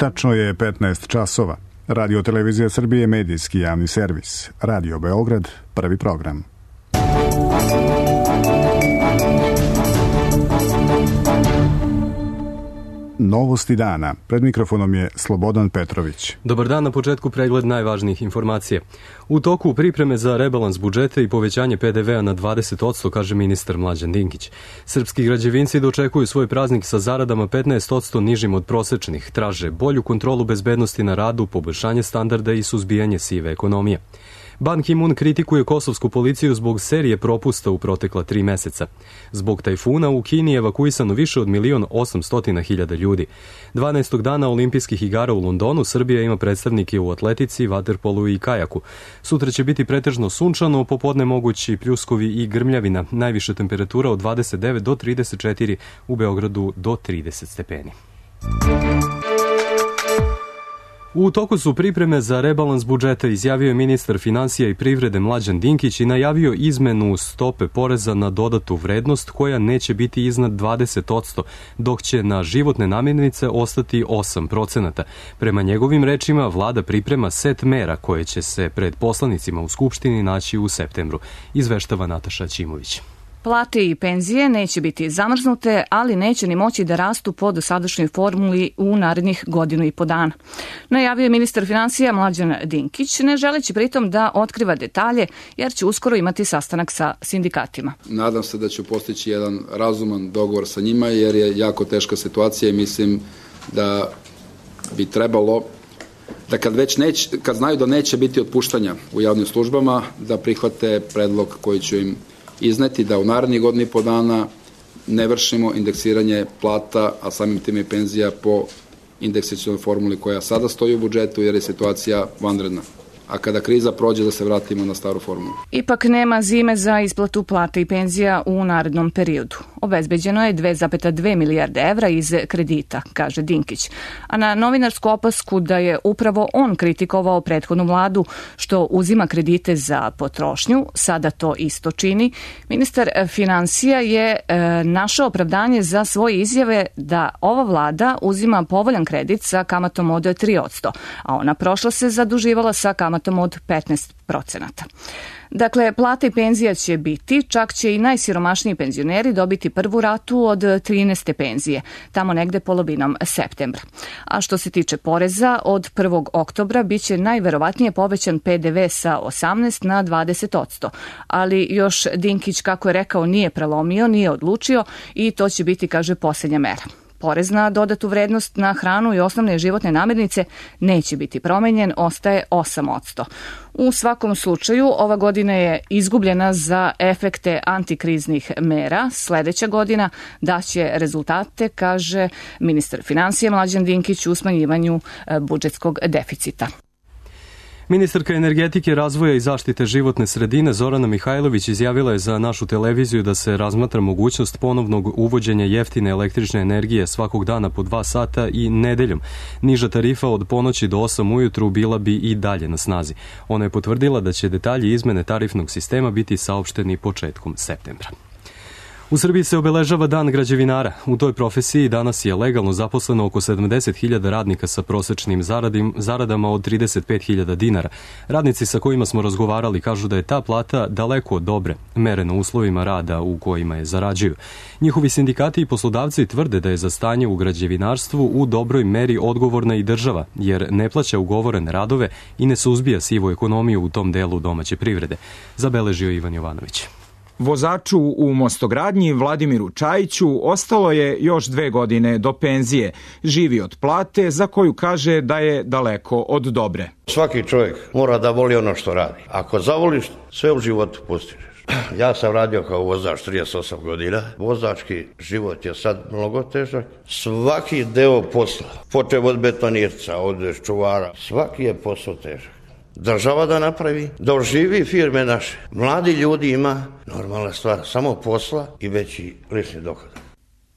Tačno je 15 časova. Radio Televizija Srbije, medijski javni servis. Radio Beograd, prvi program. Novosti dana. Pred mikrofonom je Slobodan Petrović. Dobar dan, na početku pregled najvažnijih informacija. U toku pripreme za rebalans budžeta i povećanje PDV-a na 20%, kaže ministar Mlađan Dinkić. Srpski građevinci dočekuju svoj praznik sa zaradama 15% nižim od prosečnih. Traže bolju kontrolu bezbednosti na radu, poboljšanje standarda i suzbijanje sive ekonomije. Ban Ki-moon kritikuje kosovsku policiju zbog serije propusta u protekla 3 meseca. Zbog tajfuna u Kini je evakuisano više od 1.800.000 ljudi. 12. dana olimpijskih igara u Londonu Srbija ima predstavnike u atletici, vaterpolu i kajaku. Sutra će biti pretežno sunčano, popodne mogući pljuskovi i grmljavina. Najviša temperatura od 29 do 34, u Beogradu do 30 stepeni. U toku su pripreme za rebalans budžeta, izjavio je ministar finansija i privrede Mlađan Dinkić i najavio izmenu stope poreza na dodatu vrednost koja neće biti iznad 20%, dok će na životne namirnice ostati 8%. Prema njegovim rečima, vlada priprema set mera koje će se pred poslanicima u Skupštini naći u septembru, izveštava Nataša Ćimović. Plate i penzije neće biti zamrznute, ali neće ni moći da rastu po dosadašnjoj formuli u narednih 1,5 godina. Najavio je ministar finansija Mlađan Dinkić, ne želeći pritom da otkriva detalje, jer će uskoro imati sastanak sa sindikatima. Nadam se da će postići jedan razuman dogovor sa njima, jer je jako teška situacija i mislim da bi trebalo da kad znaju da neće biti otpuštanja u javnim službama, da prihvate predlog koji će im izneti da u narednih 1,5 dana ne vršimo indeksiranje plata, a samim tim i penzija po indeksacionoj formuli koja sada stoji u budžetu, jer je situacija vanredna. A kada kriza prođe, da se vratimo na staru formulu. Ipak nema zime za isplatu plata i penzija u narednom periodu. Obezbeđeno je 2,2 milijarde evra iz kredita, kaže Dinkić. A na novinarsku opasku da je upravo on kritikovao prethodnu vladu što uzima kredite za potrošnju, sada to isto čini, ministar finansija je našao opravdanje za svoje izjave da ova vlada uzima povoljan kredit sa kamatom od 3%, a ona prošla se zaduživala sa kamatom od 15%. Dakle, plata i penzija će biti, čak će i najsiromašniji penzioneri dobiti prvu ratu od 13. penzije, tamo negde polovinom septembra. A što se tiče poreza, od 1. oktobra biće najverovatnije povećan PDV sa 18 na 20%, ali još Dinkić, kako je rekao, nije prelomio, nije odlučio i to će biti, kaže, posljednja mera. Porez na dodatu vrednost na hranu i osnovne životne namirnice neće biti promenjen, ostaje 8%. U svakom slučaju, ova godina je izgubljena za efekte antikriznih mera. Sledeća godina daće rezultate, kaže ministar finansija Mlađan Dinkić, u smanjivanju budžetskog deficita. Ministarka energetike, razvoja i zaštite životne sredine Zorana Mihajlović izjavila je za našu televiziju da se razmatra mogućnost ponovnog uvođenja jeftine električne energije svakog dana po 2 sata i nedeljom. Niža tarifa od ponoći do 8 ujutru bila bi i dalje na snazi. Ona je potvrdila da će detalji izmene tarifnog sistema biti saopšteni početkom septembra. U Srbiji se obeležava Dan građevinara. U toj profesiji danas je legalno zaposleno oko 70.000 radnika sa prosečnim zaradama od 35.000 dinara. Radnici sa kojima smo razgovarali kažu da je ta plata daleko od dobre, mereno uslovima rada u kojima je zarađuju. Njihovi sindikati i poslodavci tvrde da je za stanje u građevinarstvu u dobroj meri odgovorna i država, jer ne plaća ugovorene radove i ne suzbija sivu ekonomiju u tom delu domaće privrede, zabeležio Ivan Jovanović. Vozaču u mostogradnji Vladimiru Čajiću ostalo je još 2 godine do penzije. Živi od plate za koju kaže da je daleko od dobre. Svaki čovjek mora da voli ono što radi. Ako zavoliš, sve u životu postižeš. Ja sam radio kao vozač 38 godina. Vozački život je sad mnogo težak. Svaki deo posla, počev od betonirca, od čuvara, svaki je posao težak. Država da napravi, da oživi firme naše. Mladi ljudi ima, normalna stvar, samo posla i veći lični dohodak.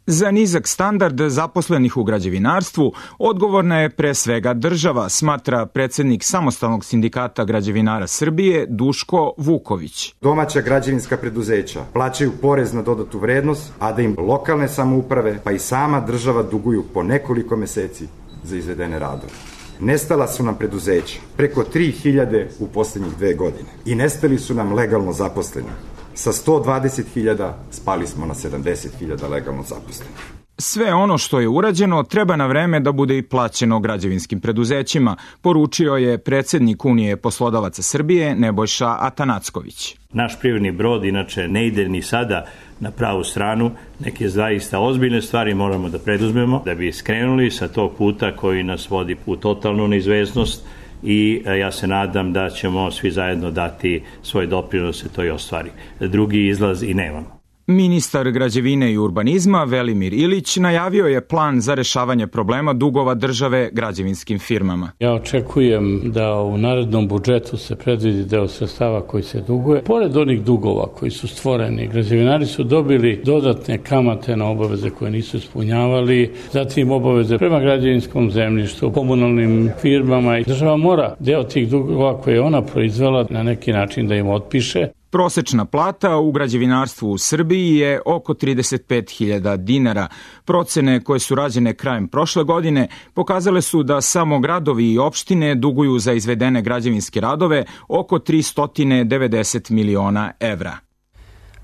Za nizak standard zaposlenih u građevinarstvu odgovorna je pre svega država, smatra predsednik Samostalnog sindikata građevinara Srbije Duško Vuković. Domaća građevinska preduzeća plaćaju porez na dodatu vrednost, a da im lokalne samouprave pa i sama država duguju po nekoliko meseci za izvedene radove. Nestala su nam preduzeća, preko 3000 u poslednjih 2 godine. I nestali su nam legalno zaposleni. Sa 120.000 spali smo na 70.000 legalno zaposlenih. Sve ono što je urađeno treba na vreme da bude i plaćeno građevinskim preduzećima, poručio je predsednik Unije poslodavaca Srbije Nebojša Atanacković. Naš privredni brod inače ne ide ni sada na pravu stranu, neke zaista ozbiljne stvari moramo da preduzmemo da bi skrenuli sa tog puta koji nas vodi u totalnu neizvesnost i ja se nadam da ćemo svi zajedno dati svoj doprinos da to i ostvari. Drugi izlaz i nemamo. Ministar građevine i urbanizma Velimir Ilić najavio je plan za rešavanje problema dugova države građevinskim firmama. Ja očekujem da u narednom budžetu se predvidi deo sredstava koji se duguje. Pored onih dugova koji su stvoreni, građevinari su dobili dodatne kamate na obaveze koje nisu ispunjavali, zatim obaveze prema građevinskom zemljištu, komunalnim firmama. Država mora deo tih dugova koje je ona proizvela na neki način da im otpiše. Prosečna plata u građevinarstvu u Srbiji je oko 35.000 dinara. Procene koje su rađene krajem prošle godine pokazale su da samo gradovi i opštine duguju za izvedene građevinske radove oko 390 miliona evra.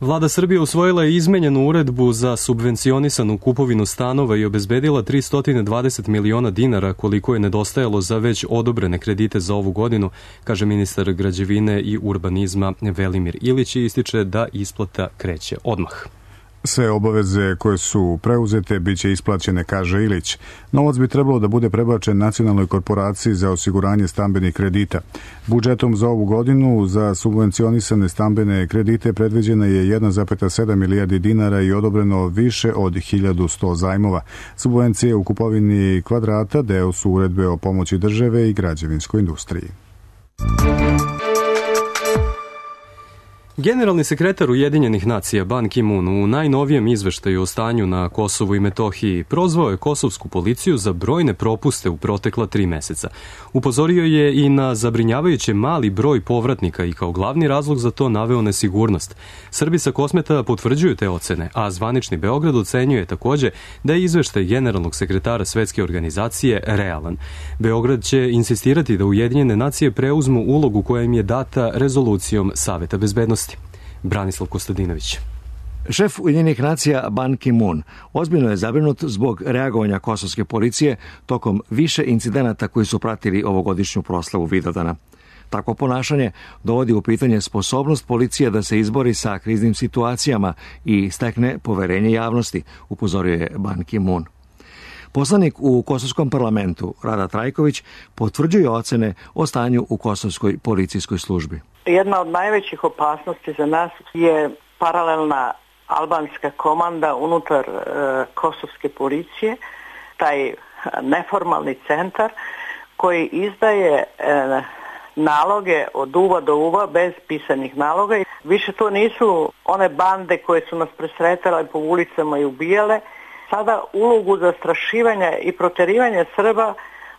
Vlada Srbije usvojila je izmenjenu uredbu za subvencionisanu kupovinu stanova i obezbedila 320 miliona dinara koliko je nedostajalo za već odobrene kredite za ovu godinu, kaže ministar građevine i urbanizma Velimir Ilić i ističe da isplata kreće odmah. Sve obaveze koje su preuzete biće isplaćene, kaže Ilić. Novac bi trebalo da bude prebačen Nacionalnoj korporaciji za osiguranje stambenih kredita. Budžetom za ovu godinu za subvencionisane stambene kredite predviđena je 1,7 milijardi dinara i odobreno više od 1100 zajmova. Subvencije u kupovini kvadrata deo su uredbe o pomoći države i građevinskoj industriji. Generalni sekretar Ujedinjenih nacija Ban Ki-moon u najnovijem izveštaju o stanju na Kosovu i Metohiji prozvao je kosovsku policiju za brojne propuste u protekla 3 meseca. Upozorio je i na zabrinjavajuće mali broj povratnika i kao glavni razlog za to naveo nesigurnost. Srbi sa Kosmeta potvrđuju te ocene, a zvanični Beograd ocenjuje takođe da je izveštaj generalnog sekretara Svetske organizacije realan. Beograd će insistirati da Ujedinjene nacije preuzmu ulogu koja im je data rezolucijom Saveta bezbednosti. Branislav Kostadinović. Šef Ujedinjenih nacija Ban Ki-moon ozbiljno je zabrinut zbog reagovanja kosovske policije tokom više incidenata koji su pratili ovogodišnju proslavu Vidovdana. Takvo ponašanje dovodi u pitanje sposobnost policije da se izbori sa kriznim situacijama i stekne poverenje javnosti, upozorio je Ban Ki-moon. Poslanik u Kosovskom parlamentu Rada Trajković potvrđuje ocene o stanju u kosovskoj policijskoj službi. Jedna od najvećih opasnosti za nas je paralelna albanska komanda unutar kosovske policije, taj neformalni centar koji izdaje naloge od uva do uva bez pisanih naloga. Više to nisu one bande koje su nas presretale po ulicama i ubijale. Sada ulogu zastrašivanja i proterivanja Srba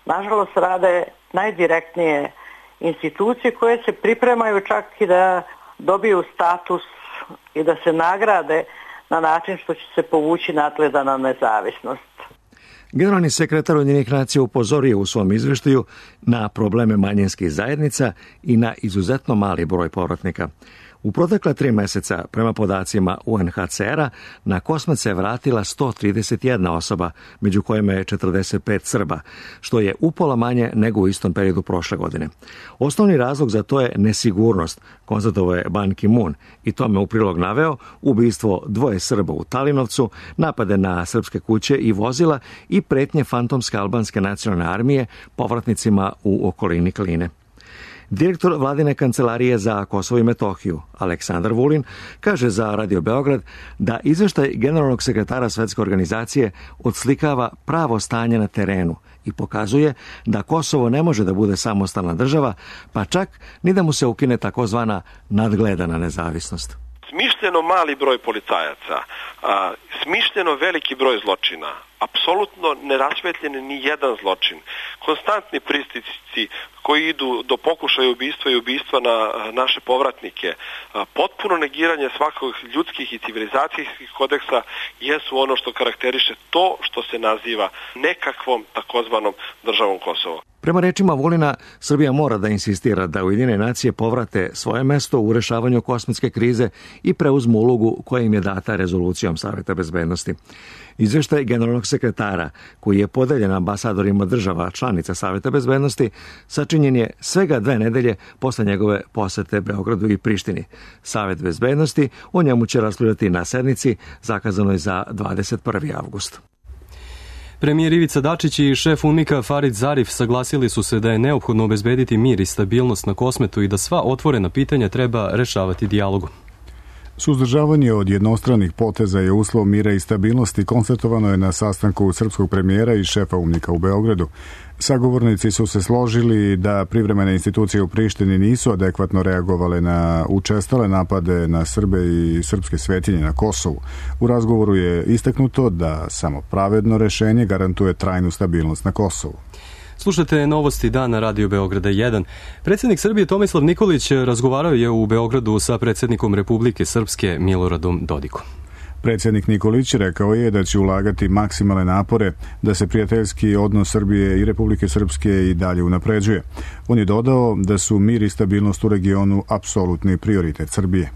nažalost rade najdirektnije institucije koje se pripremaju čak i da dobiju status i da se nagrade na način što će se povući nadgledana nezavisnost. Generalni sekretar Ujedinjenih nacija upozorio u svom izveštaju na probleme manjinskih zajednica i na izuzetno mali broj povratnika. U protekla 3 meseca, prema podacima UNHCR-a, na Kosmet se vratila 131 osoba, među kojima je 45 Srba, što je upola manje nego u istom periodu prošle godine. Osnovni razlog za to je nesigurnost, konstatovao je Ban Ki-moon, i tome u prilog naveo ubistvo 2 Srba u Talinovcu, napade na srpske kuće i vozila i pretnje fantomske albanske nacionalne armije povratnicima u okolini Kline. Direktor vladine kancelarije za Kosovo i Metohiju, Aleksandar Vulin, kaže za Radio Beograd da izveštaj generalnog sekretara Svetske organizacije odslikava pravo stanje na terenu i pokazuje da Kosovo ne može da bude samostalna država, pa čak ni da mu se ukine takozvana nadgledana nezavisnost. smišljeno mali broj policajaca, smišljeno veliki broj zločina, apsolutno nerasvetljeni ni jedan zločin, konstantni pritisci koji idu do pokušaja ubistva i ubistva na naše povratnike, potpuno negiranje svakog ljudskih i civilizacijskih kodeksa jesu ono što karakteriše to što se naziva nekakvom takozvanom državom Kosovo. Prema rečima Vulina, Srbija mora da insistira da Ujedinjene nacije povrate svoje mesto u rešavanju kosmetske krize i preuzmu ulogu koja im je data rezolucijom Saveta bezbednosti. Izveštaj generalnog sekretara, koji je podeljen ambasadorima država članica Saveta bezbednosti, sačinjen je svega 2 nedelje posle njegove posete Beogradu i Prištini. Savet bezbednosti o njemu će raspravljati na sednici zakazanoj za 21. avgust. Premijer Ivica Dačić i šef UNMIK-a Farid Zarif saglasili su se da je neophodno obezbediti mir i stabilnost na Kosmetu i da sva otvorena pitanja treba rešavati dijalogom. Suzdržavanje od jednostranih poteza je uslov mira i stabilnosti, konstatovano je na sastanku srpskog premijera i šefa UNMIK-a u Beogradu. Sagovornici su se složili da privremene institucije u Prištini nisu adekvatno reagovale na učestale napade na Srbe i srpske svetinje na Kosovu. U razgovoru je istaknuto da samo pravedno rešenje garantuje trajnu stabilnost na Kosovu. Slušajte novosti dana Radio Beograda 1. Predsjednik Srbije Tomislav Nikolić razgovarao je u Beogradu sa predsjednikom Republike Srpske Miloradom Dodikom. Predsjednik Nikolić rekao je da će ulagati maksimalne napore da se prijateljski odnos Srbije i Republike Srpske i dalje unapređuje. On je dodao da su mir i stabilnost u regionu apsolutni prioritet Srbije.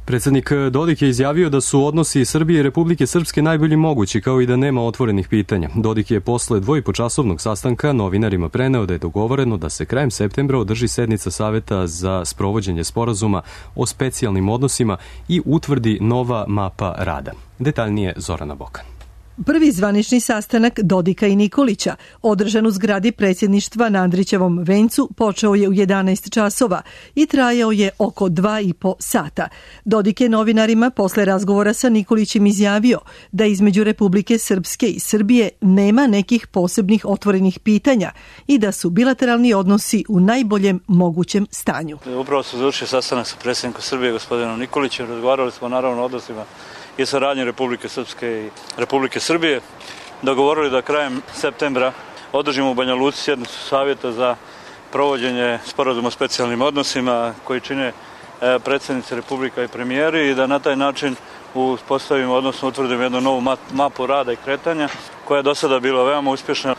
Predsjednik Dodik je izjavio da su odnosi Srbije i Republike Srpske najbolji mogući, kao i da nema otvorenih pitanja. Dodik je posle 2,5-časovnog sastanka novinarima preneo da je dogovoreno da se krajem septembra održi sednica Saveta za sprovođenje sporazuma o specijalnim odnosima i utvrdi nova mapa rada. Detaljnije Zorana Bokan. Prvi zvanični sastanak Dodika i Nikolića, održan u zgradi predsjedništva na Andrićevom vencu, počeo je u 11 časova i trajao je oko 2,5 sata. Dodik je novinarima posle razgovora sa Nikolićem izjavio da između Republike Srpske i Srbije nema nekih posebnih otvorenih pitanja i da su bilateralni odnosi u najboljem mogućem stanju. Upravo se završio sastanak sa predsjednikom Srbije, gospodinom Nikolićem. Razgovarali smo naravno o odnosima i saradnje Republike Srpske i Republike Srbije. Dogovorili da krajem septembra održimo u Banja Luci sjednicu savjeta za provođenje sporazuma o specijalnim odnosima koji čine predsjednici Republika i premijeri i da na taj način uspostavimo, odnosno utvrdimo jednu novu mapu rada i kretanja koja je do sada bila veoma uspješna.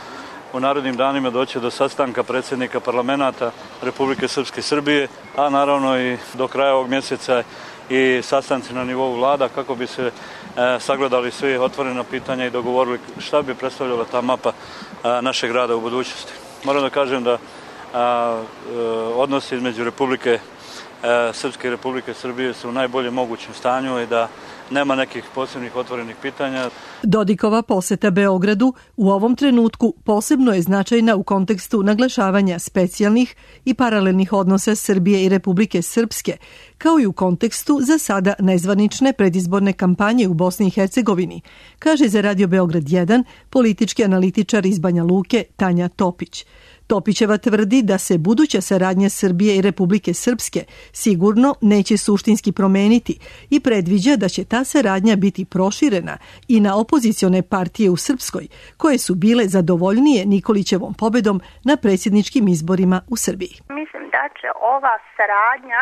U narednim danima doći do sastanka predsjednika parlamenta Republike Srpske i Srbije, a naravno i do kraja ovog mjeseca i sastanci na nivou vlada kako bi se sagledali svi otvorena pitanja i dogovorili šta bi predstavljala ta mapa našeg rada u budućnosti. Moram da kažem da odnosi između Republike Srpske i Republike Srbije su u najboljem mogućem stanju i da nema nekih posebnih otvorenih pitanja. Dodikova poseta Beogradu u ovom trenutku posebno je značajna u kontekstu naglašavanja specijalnih i paralelnih odnosa Srbije i Republike Srpske, kao i u kontekstu za sada nezvanične predizborne kampanje u Bosni i Hercegovini, kaže za Radio Beograd 1 politički analitičar iz Banja Luke Tanja Topić. Topićeva tvrdi da se buduća saradnja Srbije i Republike Srpske sigurno neće suštinski promeniti i predviđa da će ta saradnja biti proširena i na opozicione partije u Srpskoj, koje su bile zadovoljnije Nikolićevom pobedom na predsjedničkim izborima u Srbiji. Mislim da će ova saradnja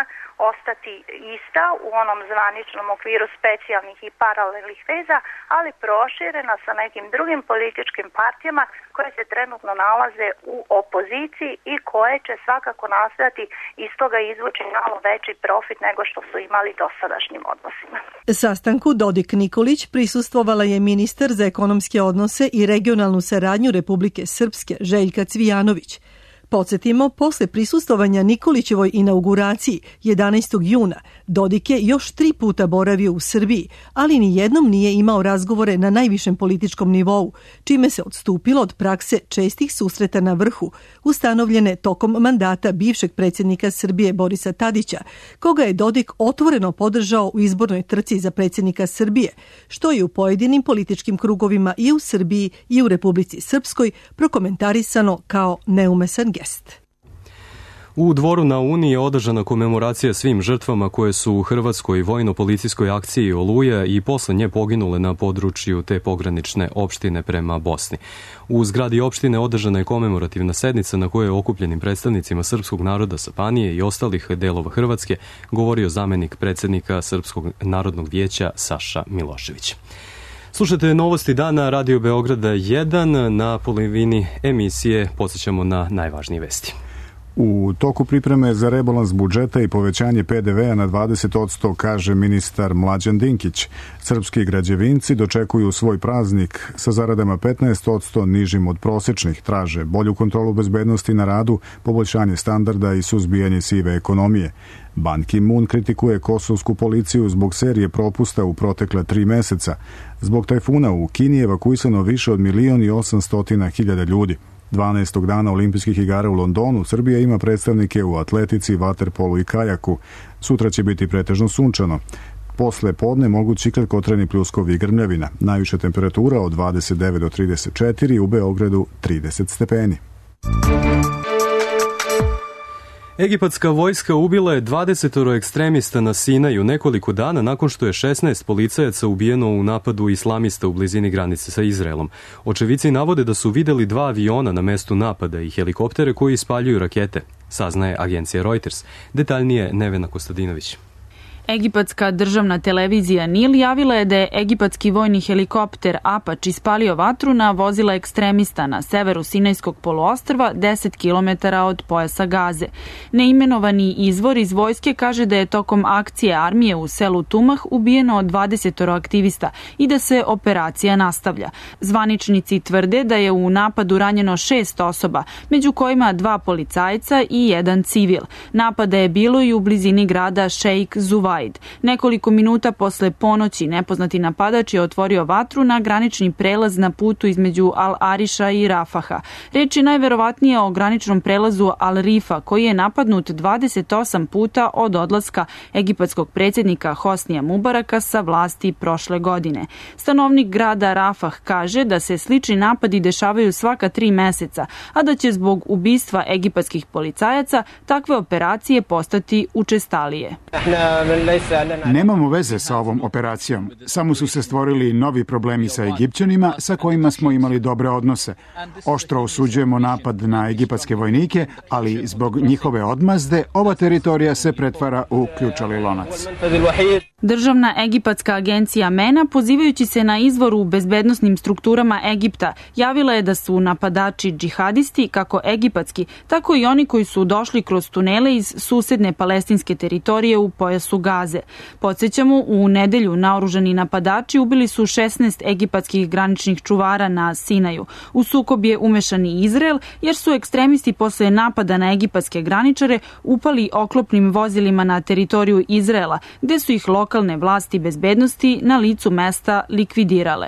ostati ista u onom zvaničnom okviru specijalnih i paralelnih veza, ali proširena sa nekim drugim političkim partijama koje se trenutno nalaze u opoziciji i koje će svakako nastojati iz toga izvući malo veći profit nego što su imali dosadašnjim odnosima. Sastanku Dodik-Nikolić prisustvovala je ministar za ekonomske odnose i regionalnu saradnju Republike Srpske Željka Cvijanović. Podsjetimo, posle prisustvovanja Nikolićevoj inauguraciji 11. juna, Dodik je još 3 puta boravio u Srbiji, ali ni jednom nije imao razgovore na najvišem političkom nivou, čime se odstupilo od prakse čestih susreta na vrhu, ustanovljene tokom mandata bivšeg predsjednika Srbije Borisa Tadića, koga je Dodik otvoreno podržao u izbornoj trci za predsjednika Srbije, što je u pojedinim političkim krugovima i u Srbiji i u Republici Srpskoj prokomentarisano kao neumesan gest. U Dvoru na Uni je održana komemoracija svim žrtvama koje su u hrvatskoj vojno-policijskoj akciji Oluja i posle nje poginule na području te pogranične opštine prema Bosni. U zgradi opštine održana je komemorativna sednica na kojoj je okupljenim predstavnicima srpskog naroda sa Banije i ostalih delova Hrvatske govorio zamenik predsednika Srpskog narodnog vijeća Saša Milošević. Slušajte novosti dana Radio Beograda 1. Na polovini emisije podsjećamo na najvažnije vesti. U toku pripreme za rebalans budžeta i povećanje PDV-a na 20%, kaže ministar Mlađan Dinkić. Srpski građevinci dočekuju svoj praznik sa zaradama 15% nižim od prosečnih. Traže bolju kontrolu bezbednosti na radu, poboljšanje standarda i suzbijanje sive ekonomije. Ban Ki-moon kritikuje kosovsku policiju zbog serije propusta u protekla 3 meseca. Zbog tajfuna u Kini je evakuisano više od 1.800.000 ljudi. 12. dana olimpijskih igara u Londonu Srbija ima predstavnike u atletici, vaterpolu i kajaku. Sutra će biti pretežno sunčano. Posle podne mogući kratkotrajni pljuskovi i grmljavina. Najviša temperatura od 29 do 34, u Beogradu 30 stepeni. Egipatska vojska ubila je 20 ekstremista na Sinaju nekoliko dana nakon što je 16 policajaca ubijeno u napadu islamista u blizini granice sa Izraelom. Očevici navode da su videli 2 aviona na mestu napada i helikoptere koji ispaljuju rakete, saznaje agencija Reuters. Detaljnije Nevena Kostadinović. Egipatska državna televizija Nil javila je da je egipatski vojni helikopter Apache ispalio vatru na vozila ekstremista na severu Sinajskog poluostrva 10 km od pojasa Gaze. Neimenovani izvor iz vojske kaže da je tokom akcije armije u selu Tumah ubijeno 20 aktivista i da se operacija nastavlja. Zvaničnici tvrde da je u napadu ranjeno 6 osoba, među kojima 2 policajca i 1 civil. Napada je bilo i u blizini grada Sheikh Zuvaid. Nekoliko minuta posle ponoći nepoznati napadač je otvorio vatru na granični prelaz na putu između Al-Ariša i Rafaha. Reč je najverovatnije o graničnom prelazu Al-Rifa, koji je napadnut 28 puta od odlaska egipatskog predsjednika Hosnija Mubaraka sa vlasti prošle godine. Stanovnik grada Rafah kaže da se slični napadi dešavaju svaka 3 meseca, a da će zbog ubistva egipatskih policajaca takve operacije postati učestalije. Nemamo veze sa ovom operacijom. Samo su se stvorili novi problemi sa Egipćanima sa kojima smo imali dobre odnose. Oštro osuđujemo napad na egipatske vojnike, ali zbog njihove odmazde ova teritorija se pretvara u ključali lonac. Državna egipatska agencija MENA, pozivajući se na izvor u bezbednosnim strukturama Egipta, javila je da su napadači džihadisti, kako egipatski, tako i oni koji su došli kroz tunele iz susedne palestinske teritorije u pojasu Gaze. Podsjećamo, u nedelju naoružani napadači ubili su 16 egipatskih graničnih čuvara na Sinaju. U sukob je umešan i Izrael, jer su ekstremisti posle napada na egipatske graničare upali oklopnim vozilima na teritoriju Izraela, gde su ih lokalne vlasti bezbednosti na licu mesta likvidirale.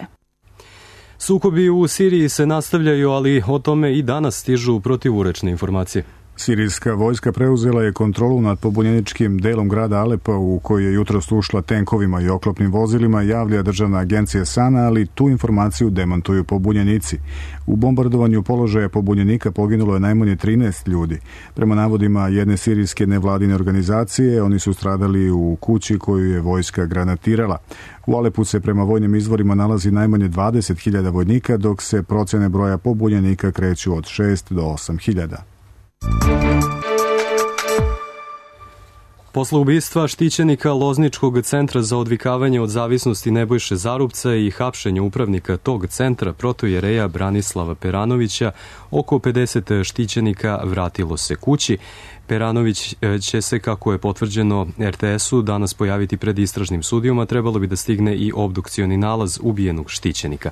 Sukobi u Siriji se nastavljaju, ali o tome i danas stižu protivurečne informacije. Sirijska vojska preuzela je kontrolu nad pobunjeničkim delom grada Alepa u koji je jutros ušla tenkovima i oklopnim vozilima, javlja državna agencija SANA, ali tu informaciju demantuju pobunjenici. U bombardovanju položaja pobunjenika poginulo je najmanje 13 ljudi. Prema navodima jedne sirijske nevladine organizacije, oni su stradali u kući koju je vojska granatirala. U Alepu se prema vojnim izvorima nalazi najmanje 20.000 vojnika, dok se procene broja pobunjenika kreću od 6 do 8.000. Posle ubistva štićenika Lozničkog centra za odvikavanje od zavisnosti Nebojše Zarubca i hapšenja upravnika tog centra protojereja Branislava Peranovića, oko 50 štićenika vratilo se kući. Peranović će se, kako je potvrđeno RTS-u, danas pojaviti pred istražnim sudijom, a trebalo bi da stigne i obdukcioni nalaz ubijenog štićenika.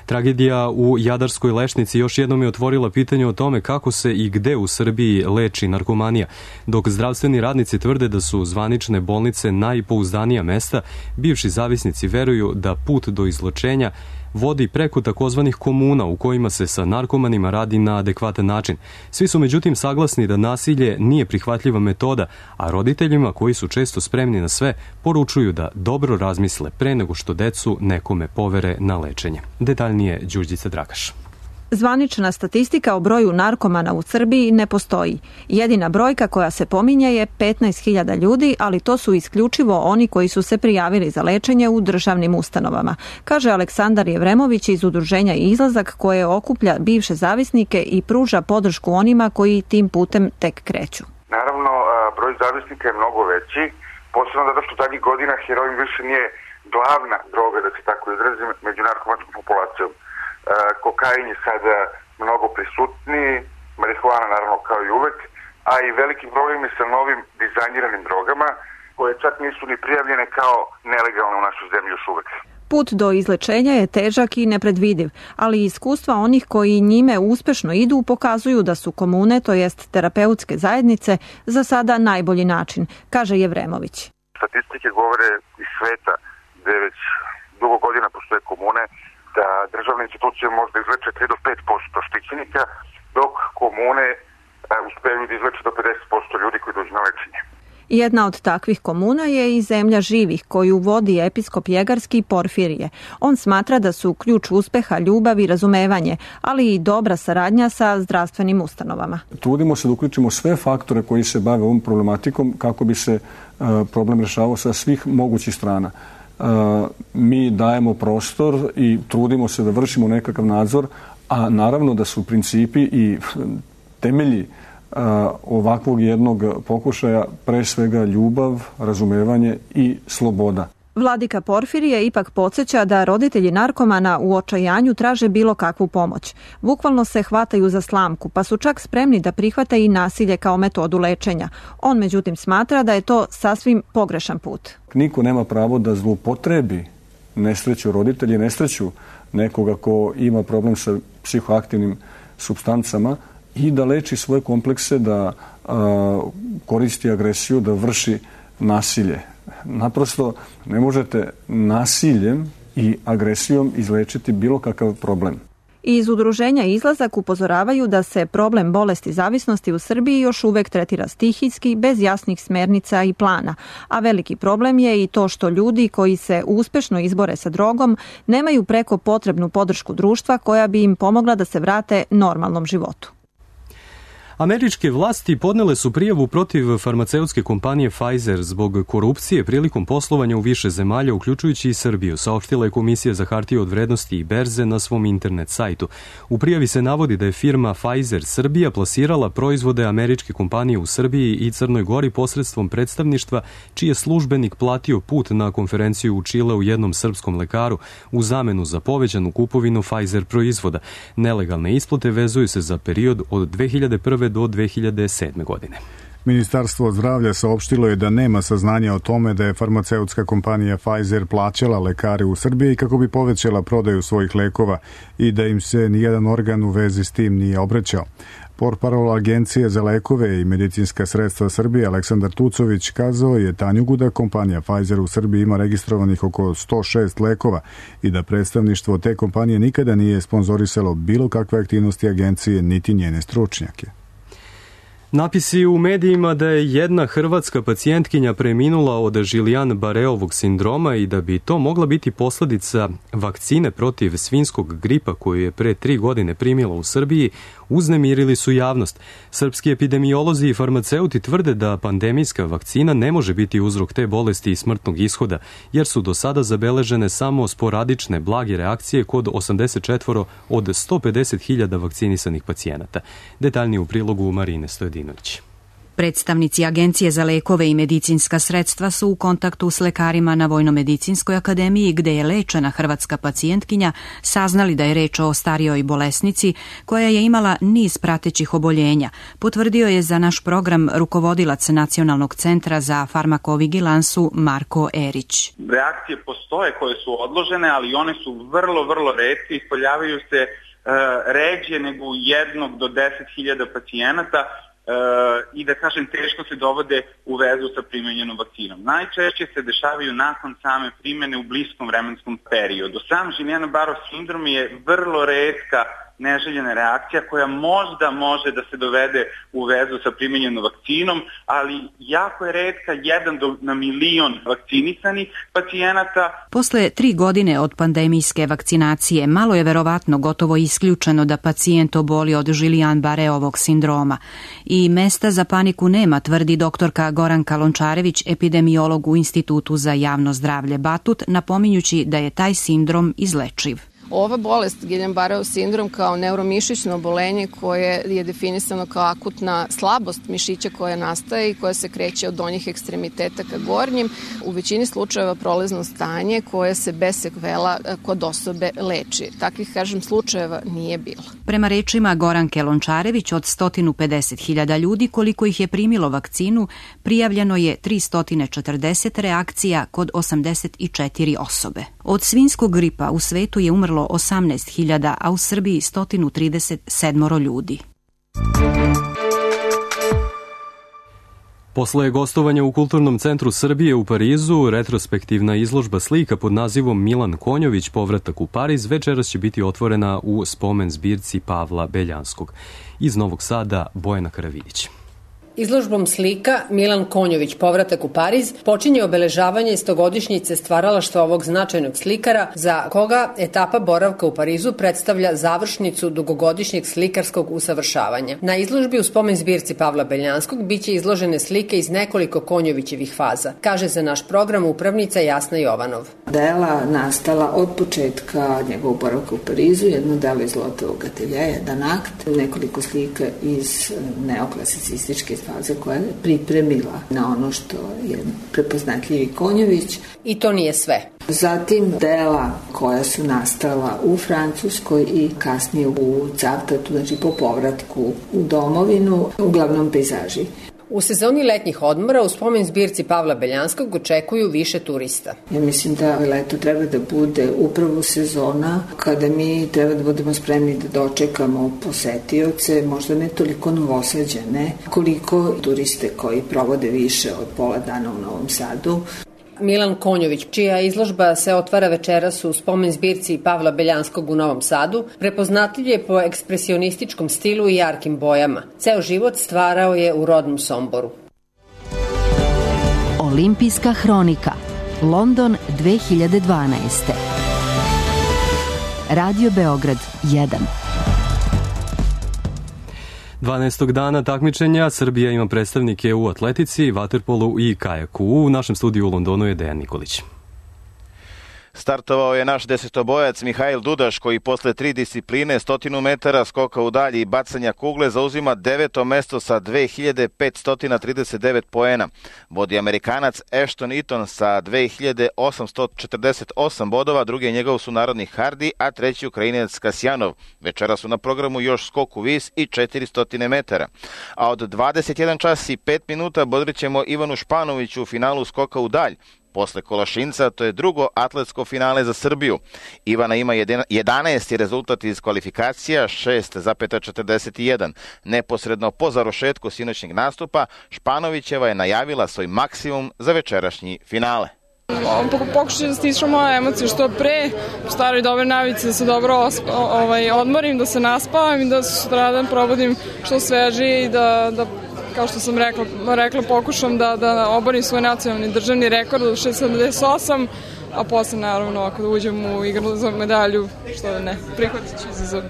Tragedija u Jadarskoj Lešnici još jednom je otvorila pitanje o tome kako se i gde u Srbiji leči narkomanija. Dok zdravstveni radnici tvrde da su zvanične bolnice najpouzdanija mesta, bivši zavisnici veruju da put do izlečenja vodi preko takozvanih komuna u kojima se sa narkomanima radi na adekvatan način. Svi su međutim saglasni da nasilje nije prihvatljiva metoda, a roditeljima, koji su često spremni na sve, poručuju da dobro razmisle pre nego što decu nekome povere na lečenje. Detaljnije Đurđica Dragaš. Zvanična statistika o broju narkomana u Srbiji ne postoji. Jedina brojka koja se pominje je 15.000 ljudi, ali to su isključivo oni koji su se prijavili za lečenje u državnim ustanovama, kaže Aleksandar Jevremović iz udruženja Izlazak, koje okuplja bivše zavisnike i pruža podršku onima koji tim putem tek kreću. Naravno, broj zavisnika je mnogo veći, posebno zato što zadnjih godina heroin više nije glavna droga, da se tako izrazim, među narkomanskom populacijom. Kokain je sada mnogo prisutniji, marihuana naravno kao i uvek, a i veliki problem je sa novim dizajniranim drogama, koje čak nisu ni prijavljene kao nelegalne u našoj zemlji još uvek. Put do izlečenja je težak i nepredvidiv, ali iskustva onih koji njime uspešno idu pokazuju da su komune, to jest terapeutske zajednice, za sada najbolji način, kaže Jevremović. Statistike govore iz sveta, gde već dugo godina postoje komune, da državne institucije možda izleče 3 do 5% štićenika, dok komune uspeju da izleče do 50% ljudi koji dođu na lečenje. Jedna od takvih komuna je i Zemlja živih, koju vodi episkop Jegarski Porfirije. On smatra da su ključ uspeha ljubav i razumevanje, ali i dobra saradnja sa zdravstvenim ustanovama. Trudimo se da uključimo sve faktore koji se bave ovom problematikom kako bi se problem rešavao sa svih mogućih strana. Mi dajemo prostor i trudimo se da vršimo nekakav nadzor, a naravno da su principi i temelji ovakvog jednog pokušaja pre svega ljubav, razumevanje i sloboda. Vladika Porfirije ipak podsjeća da roditelji narkomana u očajanju traže bilo kakvu pomoć. Bukvalno se hvataju za slamku, pa su čak spremni da prihvate i nasilje kao metodu lečenja. On međutim smatra da je to sasvim pogrešan put. Niko nema pravo da zloupotrebi nesreću roditelji, nesreću nekoga ko ima problem sa psihoaktivnim supstancama i da leči svoje komplekse, da koristi agresiju, da vrši nasilje. Naprosto ne možete nasiljem i agresijom izlečiti bilo kakav problem. Iz udruženja Izlazak upozoravaju da se problem bolesti zavisnosti u Srbiji još uvek tretira stihijski, bez jasnih smernica i plana, a veliki problem je i to što ljudi koji se uspešno izbore sa drogom nemaju preko potrebnu podršku društva koja bi im pomogla da se vrate normalnom životu. Američke vlasti podnele su prijavu protiv farmaceutske kompanije Pfizer zbog korupcije prilikom poslovanja u više zemalja, uključujući i Srbiju, saopštila je Komisija za hartije od vrednosti i berze na svom internet sajtu. U prijavi se navodi da je firma Pfizer Srbija plasirala proizvode američke kompanije u Srbiji i Crnoj Gori posredstvom predstavništva, čiji je službenik platio put na konferenciju u Čile u jednom srpskom lekaru u zamenu za povećanu kupovinu Pfizer proizvoda. Nelegalne isplate vezuju se za period od 2001. do 2007. godine. Ministarstvo zdravlja saopštilo je da nema saznanja o tome da je farmaceutska kompanija Pfizer plaćala lekare u Srbiji kako bi povećala prodaju svojih lekova i da im se nijedan organ u vezi s tim nije obraćao. Portparol Agencije za lekove i medicinska sredstva Srbije Aleksandar Tucović kazao je Tanjugu da kompanija Pfizer u Srbiji ima registrovanih oko 106 lekova i da predstavništvo te kompanije nikada nije sponzorisalo bilo kakve aktivnosti agencije niti njene stručnjake. Napisi u medijima da je jedna hrvatska pacijentkinja preminula od Guillain-Barréovog sindroma i da bi to mogla biti posledica vakcine protiv svinjskog gripa koju je pre 3 godine primila u Srbiji, uznemirili su javnost. Srpski epidemiolozi i farmaceuti tvrde da pandemijska vakcina ne može biti uzrok te bolesti i smrtnog ishoda, jer su do sada zabeležene samo sporadične blage reakcije kod 84 od 150.000 vakcinisanih pacijenata. Detaljnije u prilogu Marine Stojadinović. Predstavnici Agencije za lekove i medicinska sredstva su u kontaktu s lekarima na Vojnomedicinskoj akademiji gde je lečena hrvatska pacijentkinja saznali da je reč o starijoj bolesnici koja je imala niz pratećih oboljenja, potvrdio je za naš program rukovodilac Nacionalnog centra za farmakovigilansu Marko Erić. Reakcije postoje koje su odložene, ali one su vrlo retke i pojavljaju se ređe nego u 1 do 10.000 pacijenata i da kažem teško se dovode u vezu sa primenjenom vakcinom. Najčešće se dešavaju nakon same primene u bliskom vremenskom periodu. Sam Guillain-Barré sindrom je vrlo retka neželjena reakcija koja možda može da se dovede u vezu sa primenjenom vakcinom, ali jako je retka, 1 na milion vakcinisanih pacijenata. Posle 3 godine od pandemijske vakcinacije, malo je verovatno gotovo isključeno da pacijent oboli od Guillain-Barréovog sindroma. I mesta za paniku nema, tvrdi doktorka Goranka Lončarević, epidemiolog u Institutu za javno zdravlje Batut, napominjući da je taj sindrom izlečiv. Ova bolest, Guillain-Barréov sindrom, kao neuromišićno obolenje koje je definisano kao akutna slabost mišića koja nastaje i koja se kreće od donjih ekstremiteta ka gornjim, u većini slučajeva prolazno stanje koje se bez sekvela kod osobe leči. Takvih, kažem, slučajeva nije bilo. Prema rečima Goranke Lončarević, od 150.000 ljudi koliko ih je primilo vakcinu, prijavljeno je 340 reakcija kod 84 osobe. Od svinjskog gripa u svetu je umrlo 18.000, a u Srbiji 137 ljudi. Posle gostovanja u Kulturnom centru Srbije u Parizu, retrospektivna izložba slika pod nazivom Milan Konjović, povratak u Pariz, večeras će biti otvorena u spomen zbirci Pavla Beljanskog. Iz Novog Sada, Bojana Karavidić. Izložbom slika Milan Konjović, povratak u Pariz, počinje obeležavanje 100-godišnjice stvaralaštva ovog značajnog slikara, za koga etapa boravka u Parizu predstavlja završnicu dugogodišnjeg slikarskog usavršavanja. Na izložbi u spomen zbirci Pavla Beljanskog biće izložene slike iz nekoliko Konjovićevih faza, kaže za naš program upravnica Jasna Jovanov. Dela nastala od početka njegovog boravka u Parizu, jedno delo iz Lotovog ateljeja, jedan akt, nekoliko slika iz neoklasicističke faze koja je pripremila na ono što je prepoznatljivi Konjović. I to nije sve. Zatim dela koja su nastala u Francuskoj i kasnije u Cavtatu, znači po povratku u domovinu, uglavnom pejzaži. U sezoni letnjih odmora u spomen zbirci Pavla Beljanskog očekuju više turista. Ja mislim da leto treba da bude upravo sezona kada mi treba da budemo spremni da dočekamo posetioce, možda ne toliko novosađene, koliko turiste koji provode više od pola dana u Novom Sadu. Milan Konjović, čija izložba se otvara večeras u spomen zbirci Pavla Beljanskog u Novom Sadu, prepoznatljiv je po ekspresionističkom stilu i jarkim bojama. Ceo život stvarao je u rodnom Somboru. Olimpijska hronika, London 2012. Radio Beograd 1. 12. dana takmičenja Srbija ima predstavnike u atletici, vaterpolu i kajaku. U našem studiju u Londonu je Dejan Nikolić. Startovao je naš desetobojac Mihajl Dudaš, koji posle 3 discipline, 100 metara, skoka u dalji i bacanja kugle, zauzima 9. mesto sa 2539 poena. Vodi Amerikanac Ashton Eaton sa 2848 bodova, drugi je njegov sunarodnik Hardy, a treći Ukrajinac Kasjanov. Večera su na programu još skok u vis i 400 metara. A od 21 čas i 5 minuta bodrit ćemo Ivanu Španoviću u finalu skoka u dalj. Posle Kolašinca to je drugo atletsko finale za Srbiju. Ivana ima 11. rezultat iz kvalifikacija, 6,41. Neposredno po završetku sinoćnjeg nastupa, Španovićeva je najavila svoj maksimum za večerašnji finale. Pokušat ću da stišam moje emocije što pre, u staroj dobre navici da se dobro odmorim, da se naspavam i da se sutradan probudim što svežije i da kao što sam rekla, pokušam da oborim svoj nacionalni državni rekord od 6,78, a posle naravno ako da uđem u igru za medalju, što da ne, prihvatit ću izazov.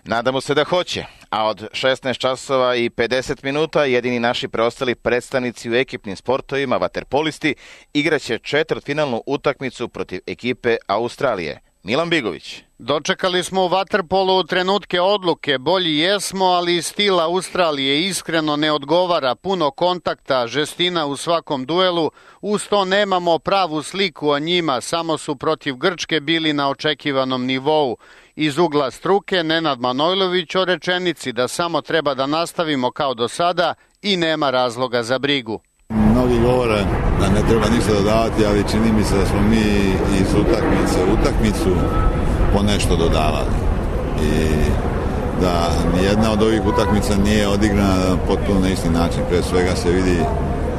Nadamo se da hoće, a od 16 časova i 50 minuta jedini naši preostali predstavnici u ekipnim sportovima, vaterpolisti, igraće četvrtfinalnu utakmicu protiv ekipe Australije. Milan Bigović. Dočekali smo u vaterpolu trenutke odluke, bolji jesmo, ali stil Australije iskreno ne odgovara, puno kontakta, žestina u svakom duelu, uz to nemamo pravu sliku o njima, samo su protiv Grčke bili na očekivanom nivou. Iz ugla struke Nenad Manojlović o rečenici da samo treba da nastavimo kao do sada i nema razloga za brigu. Mnogi govore da ne treba ništa dodavati, ali čini mi se da smo mi iz utakmice u utakmicu po nešto dodavali. I da nijedna od ovih utakmica nije odigrana potpuno na isti način. Pre svega se vidi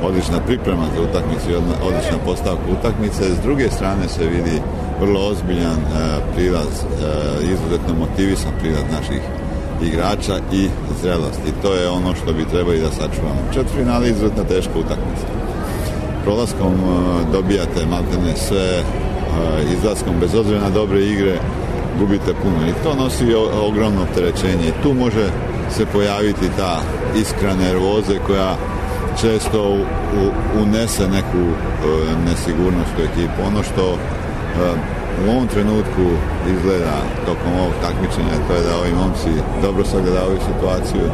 odlična priprema za utakmicu i odlična postavka utakmice. S druge strane se vidi vrlo ozbiljan prilaz, izuzetno motivisan prilaz naših igrača i zrelost. I to je ono što bi trebali da sačuvamo. Četvrtfinale je izuzetno teška utakmica. Prolaskom dobijate maltene sve, izlaskom bez obzira na dobre igre gubite puno. I to nosi ogromno opterećenje. I tu može se pojaviti ta iskra nervoze koja često unese neku nesigurnost u ekipu. Ono što u ovom trenutku izgleda tokom ovog takmičenja, to je da ovi momci dobro sagledavaju situaciju,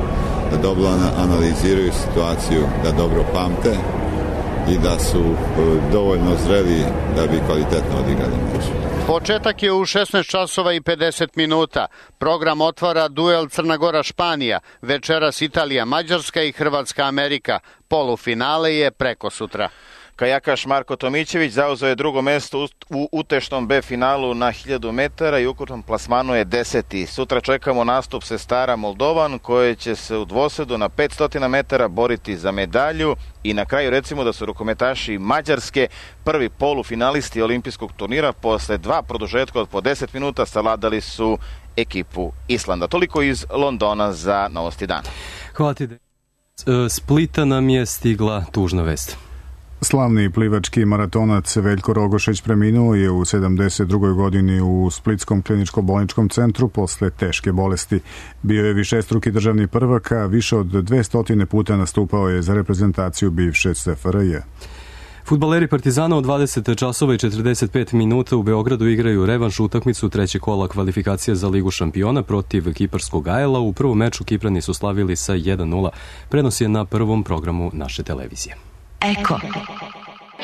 da dobro analiziraju situaciju, da dobro pamte i da su dovoljno zreli da bi kvalitetno odigrali meč. Početak je u 16 časova i 50 minuta. Program otvara duel Crna Gora-Španija, večeras Italija-Mađarska i Hrvatska-Amerika. Polufinale je preko sutra. Kajakaš Marko Tomićević zauzeo je drugo mesto u utešnom B finalu na 1000 metara i ukupnom plasmanu je 10. Sutra čekamo nastup sestara Moldovan koje će se u dvosedu na 500 metara boriti za medalju i na kraju recimo da su rukometaši Mađarske prvi polufinalisti olimpijskog turnira posle 2 produžetka od po 10 minuta savladali su ekipu Islanda. Toliko iz Londona za Novosti dana. Hvala ti. Splita nam je stigla tužna vest. Slavni plivački maratonac Veljko Rogošeć preminuo je u 72. godini u Splitskom kliničko-bolničkom centru posle teške bolesti. Bio je višestruki državni prvak, a više od 200 puta nastupao je za reprezentaciju bivše SFRJ. Fudbaleri Partizana od 20 časova i 45 minuta u Beogradu igraju revanš utakmicu trećeg kola kvalifikacije za Ligu šampiona protiv kiparskog AEL-a. U prvom meču Kiprani su slavili sa 1:0. Prenos je na prvom programu naše televizije. Eko.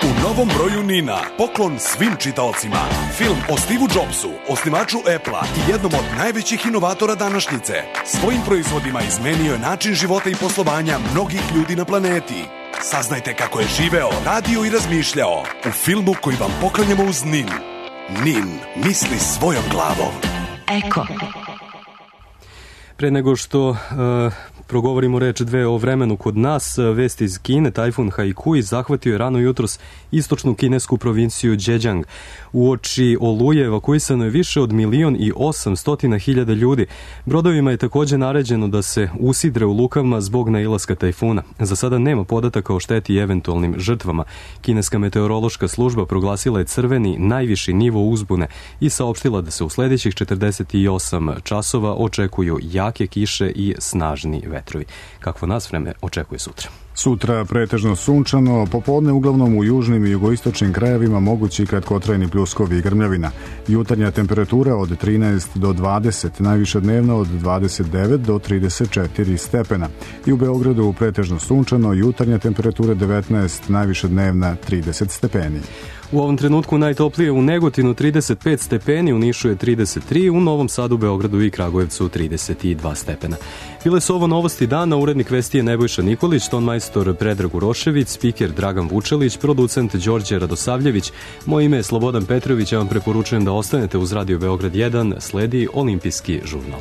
U novom broju Nina, poklon svim čitaocima. Film o Steve Jobsu, osnivaču Apple-a i jednom od najvećih inovatora današnjice. Svojim proizvodima izmenio je način života i poslovanja mnogih ljudi na planeti. Saznajte kako je živeo, radio i razmišljao u filmu koji vam poklanjamo uz Nin. Nin misli svojom glavom. Eko. Pre nego što progovorimo reč dve o vremenu kod nas, vest iz Kine, tajfun Haikui zahvatio je rano jutros istočnu kinesku provinciju Zhejiang. Uoči oluje evakuisano je više od 1.800.000 ljudi. Brodovima je također naređeno da se usidre u lukama zbog nailaska tajfuna. Za sada nema podataka o šteti i eventualnim žrtvama. Kineska meteorološka služba proglasila je crveni najviši nivo uzbune i saopštila da se u sljedećih 48 časova očekuju jake kiše i snažni vetrovi. Kakvo nas vreme očekuje sutra? Sutra pretežno sunčano, popodne uglavnom u južnim i jugoistočnim krajevima mogući kratkotrajni pljuskovi i grmljavina. Jutarnja temperatura od 13 do 20, najviše dnevna od 29 do 34 stepena. I u Beogradu pretežno sunčano, jutarnja temperatura 19, najviše dnevna 30 stepeni. U ovom trenutku najtoplije u Negotinu 35 stepeni, u Nišu je 33, u Novom Sadu, Beogradu i Kragujevcu 32 stepena. Bile su ovo novosti dana, urednik vesti je Nebojša Nikolić, tonmajstor Predrag Urošević, spiker Dragan Vučelić, producent Đorđe Radosavljević. Moje ime je Slobodan Petrović, ja vam preporučujem da ostanete uz Radio Beograd 1, sledi Olimpijski žurnal.